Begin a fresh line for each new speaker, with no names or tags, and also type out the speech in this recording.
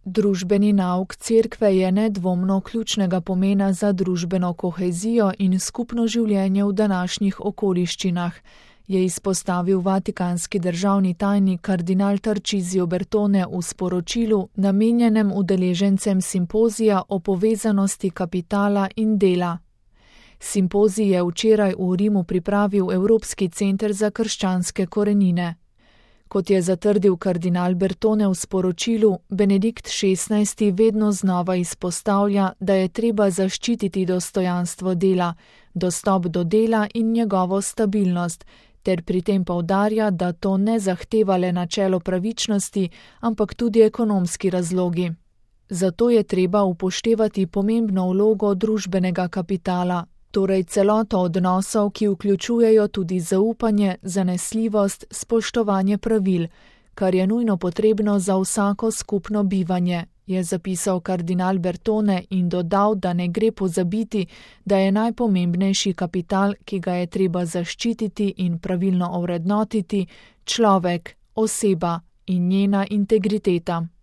Družbeni nauk cerkve je nedvomno ključnega pomena za družbeno kohezijo in skupno življenje v današnjih okoliščinah, je izpostavil vatikanski državni tajnik kardinal Tarcisio Bertone v sporočilu, namenjenem udeležencem simpozija o povezanosti kapitala in dela. Simpozij je včeraj v Rimu pripravil Evropski center za krščanske korenine. Kot je zatrdil kardinal Bertone v sporočilu, Benedikt XVI vedno znova izpostavlja, da je treba zaščititi dostojanstvo dela, dostop do dela in njegovo stabilnost, ter pri tem poudarja, da to ne zahteva le načelo pravičnosti, ampak tudi ekonomski razlogi. Zato je treba upoštevati pomembno vlogo družbenega kapitala, torej celoto odnosov, ki vključujejo tudi zaupanje, zanesljivost, spoštovanje pravil, kar je nujno potrebno za vsako skupno bivanje, je zapisal kardinal Bertone in dodal, da ne gre pozabiti, da je najpomembnejši kapital, ki ga je treba zaščititi in pravilno ovrednotiti, človek, oseba in njena integriteta.